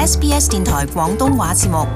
SBS 電台廣東話節目。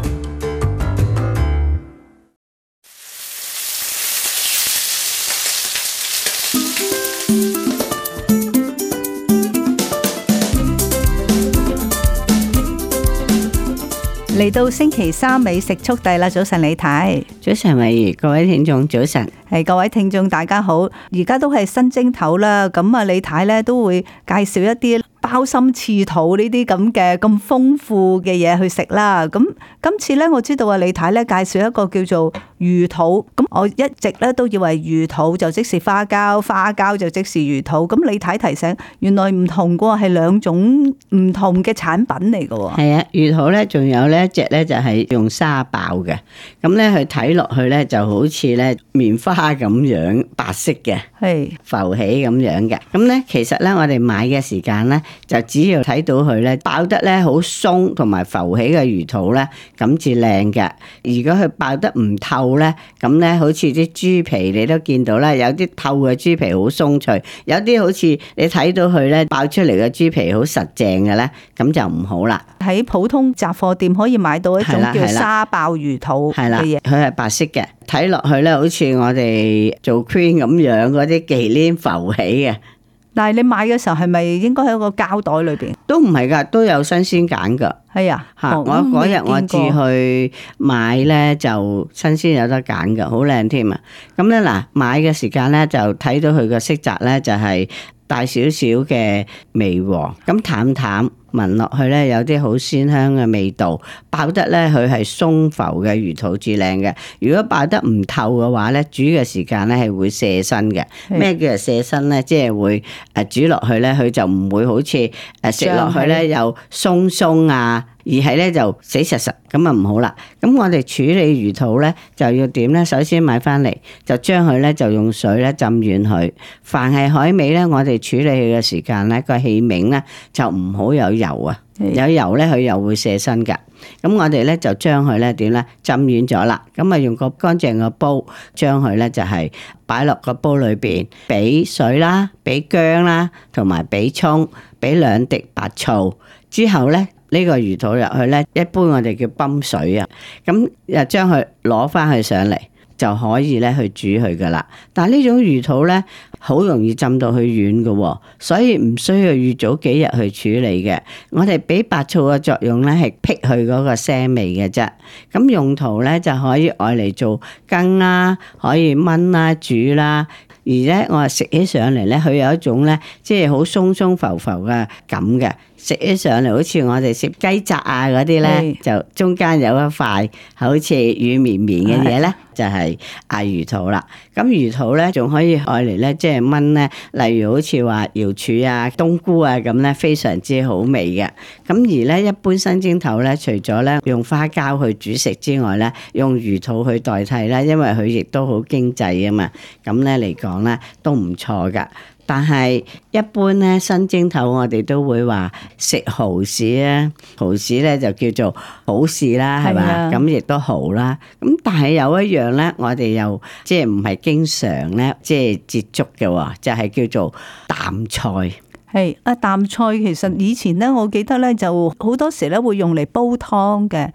嚟到星期三美食速遞啦！早晨李太，早晨慧怡，各位聽眾早晨，係各位聽眾大家好。而家都係新正頭啦，咁啊李太咧都會介紹一啲鮑參翅肚呢啲咁嘅咁豐富嘅嘢去食啦。咁今次咧我知道啊李太咧介紹一個叫做魚肚，咁我一直咧都以為魚肚就即是花膠，花膠就即是魚肚。咁李太提醒，原來唔同噶，係兩種唔同嘅產品嚟噶。係啊，魚肚咧仲有咧一隻咧就係用沙爆嘅，咁咧佢睇落去咧就好似咧棉花咁樣白色嘅，係浮起咁樣嘅。咁咧其實咧我哋買嘅時間咧就只要睇到佢咧爆得咧好鬆同埋浮起嘅魚肚咧咁至靚嘅。如果佢爆得唔透咧，咁咧好似啲豬皮你都見到啦，有啲透嘅豬皮好鬆脆，有啲好似你睇到佢咧爆出嚟嘅豬皮好實淨嘅咧，咁就唔好啦。喺普通雜貨店可以買到一種叫沙爆魚肚嘅嘢，佢係白色嘅，睇落去咧好似我哋做 cream 咁樣嗰啲忌廉浮起嘅。但係你買嘅時候係咪應該喺個膠袋裏邊？都唔係噶，都有新鮮揀噶。係啊，我嗰日我至去買咧就新鮮有得揀噶，好靚添啊！咁咧嗱，買嘅時間咧就睇到佢個色澤咧就係帶少少嘅微黃，咁淡淡。聞落去咧有啲好鮮香嘅味道，爆得咧佢係鬆浮嘅魚肚至靚嘅。如果爆得唔透嘅話咧，煮嘅時間咧係會卸身嘅。咩叫做卸身咧？即係會煮落去咧，佢就唔會好似食落去咧又鬆鬆啊，而係咧就死實實咁啊唔好啦。咁我哋處理魚肚咧就要點咧？首先買翻嚟就將佢咧就用水咧浸軟佢。凡係海味咧，我哋處理佢嘅時間咧個器皿咧就唔好有油啊，有油咧佢又會卸身噶。咁我哋咧就將佢咧點咧浸軟咗啦，咁啊用個乾淨嘅煲將佢咧就係擺落個煲裏邊，俾水啦，俾薑啦，同埋俾蔥，俾2滴白醋之後咧。呢個魚肚入去咧，一般我哋叫泵水啊，咁又將佢攞翻去上嚟就可以咧去煮佢噶啦。但係呢種魚肚咧，好容易浸到佢軟嘅，所以唔需要預早幾日去處理嘅。我哋俾白醋嘅作用咧係辟去嗰個腥味嘅啫。咁用途咧就可以愛嚟做羹啦，可以炆啦、煮啦。而咧我話食起上嚟咧，佢有一種咧即係好鬆鬆浮浮嘅感嘅。食起上嚟好似我哋食雞扎啊嗰啲咧，就中間有一塊好似軟綿綿嘅嘢咧，就係魚肚啦。咁魚肚咧仲可以愛嚟咧，即係炆咧，例如好似話瑤柱啊、冬菇啊咁咧，非常之好味嘅。咁而咧一般新蒸頭咧，除咗咧用花膠去煮食之外咧，用魚肚去代替啦，因為佢亦都好經濟啊嘛。咁咧嚟講咧都唔錯噶。但係一般咧新蒸頭我哋都會話食蠔豉啊，蠔豉咧就叫做好事啦，係嘛？咁亦都蠔啦。咁但係有一樣咧，我哋又即係唔係經常咧，即係接觸嘅，就係叫做淡菜。係啊，淡菜其實以前咧，我記得咧就好多時咧會用嚟煲湯嘅，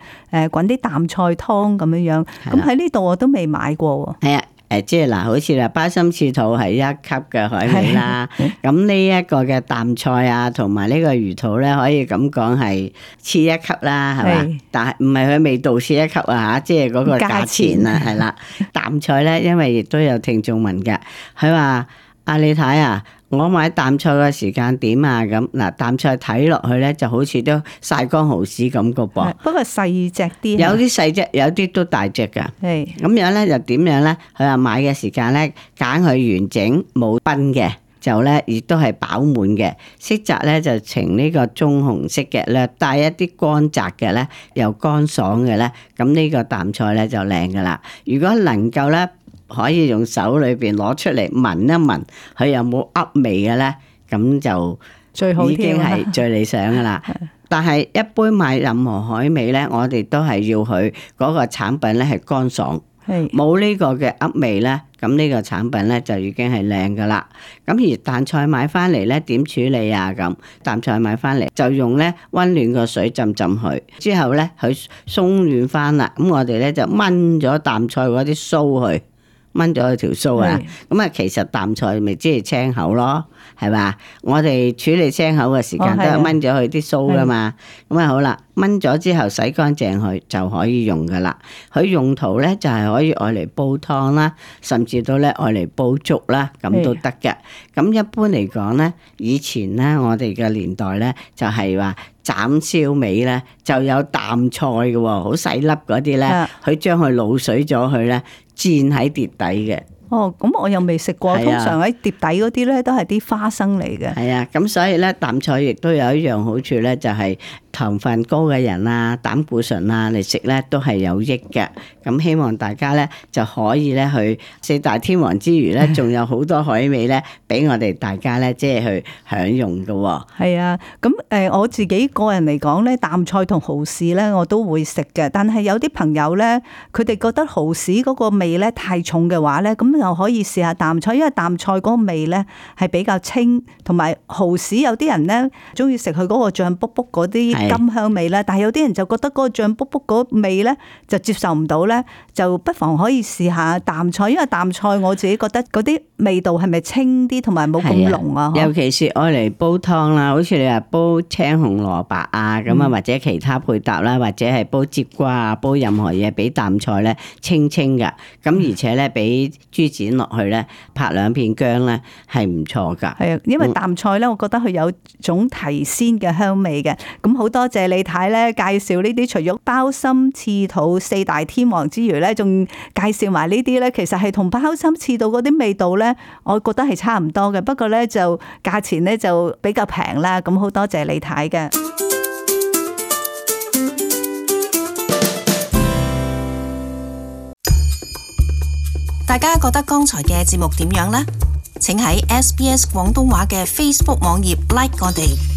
滾啲淡菜湯咁樣樣。咁喺呢度我都未買過喎。係啊。即係嗱，好似啦，鮑參翅肚係1級嘅海味啦。咁呢一個嘅淡菜啊，同埋呢個魚肚咧，可以咁講係次1級啦，係嘛？但係唔係佢味道次1級啊嚇，即係嗰個價錢啊，係啦。淡菜咧，因為亦都有聽眾問嘅，佢話：阿你睇啊，我買淡菜嘅時間點啊？咁嗱，淡菜睇落去咧，就好似都曬乾蠔豉咁個噃。不過細隻啲，有啲細隻，有啲都大隻㗎。係咁樣咧，就點樣咧？佢話買嘅時間咧，揀佢完整冇崩嘅，就咧亦都係飽滿嘅。色澤咧就呈呢個棕紅色嘅，略帶一啲乾澤嘅咧，又乾爽嘅咧。咁呢個淡菜咧就靚㗎啦。如果能夠咧，可以用手裏邊攞出嚟聞一聞，佢有冇噏味嘅咧？咁就最好已經係最理想噶啦。但係一般買任何海味咧，我哋都係要佢嗰個產品咧係乾爽，冇呢個嘅噏味咧，咁呢個產品咧就已經係靚噶啦。咁而淡菜買翻嚟咧點處理啊？咁淡菜買翻嚟就用咧溫暖個水浸浸佢，之後咧佢鬆軟翻啦。咁我哋咧就炆咗淡菜嗰啲鬚去。炆咗佢條鬚啊，咁啊其實淡菜咪即係青口咯，係嘛？我哋處理青口嘅時間都係炆咗佢啲鬚噶嘛，咁啊好啦，炆咗之後洗乾淨佢就可以用噶啦。佢用途咧就係可以愛嚟煲湯啦，甚至到咧愛嚟煲粥啦，咁都得嘅。咁一般嚟講咧，以前咧我哋嘅年代咧就係話斬燒味咧就有淡菜嘅喎，好細粒嗰啲咧，佢將佢滷水咗佢咧。煎喺碟底嘅。哦，咁我又未食過。通常喺碟底嗰啲咧都係啲花生嚟嘅。係啊，咁所以咧淡菜亦都有一樣好處咧，就係糖分高嘅人啊、膽固醇啊嚟食咧都係有益嘅。咁希望大家咧就可以咧去四大天王之餘咧，仲有好多海味咧俾我哋大家咧即係去享用嘅。係啊，咁我自己個人嚟講咧，淡菜同蠔豉咧我都會食嘅。但係有啲朋友咧，佢哋覺得蠔豉嗰個味咧太重嘅話咧，咁又可以試下淡菜，因為淡菜嗰個味咧係比較清，同埋蠔豉有啲人咧中意食佢嗰個醬卜卜嗰啲甘香味咧，但係有啲人就覺得嗰個醬卜卜嗰味咧就接受唔到咧，就不妨可以試下淡菜，因為淡菜我自己覺得嗰啲味道係咪清啲，同埋冇咁濃啊？尤其是愛嚟煲湯啦，好似你話煲青紅蘿蔔啊咁啊，或者其他配搭啦，或者係煲節瓜啊，煲任何嘢俾淡菜咧清清噶，咁而且咧俾豬展落去咧，拍兩片薑咧係唔錯噶。係啊，因為淡菜咧，我覺得佢有種提鮮嘅香味嘅。咁好多謝李太咧介紹呢啲，除咗鮑參翅肚四大天王之餘咧，仲介紹埋呢啲咧，其實係同鮑參翅肚嗰啲味道咧，我覺得係差唔多嘅。不過咧就價錢咧就比較平啦。咁好多謝李太嘅。大家覺得剛才嘅節目點樣呢？請喺SBS 廣東話嘅 Facebook 網頁 like 我哋。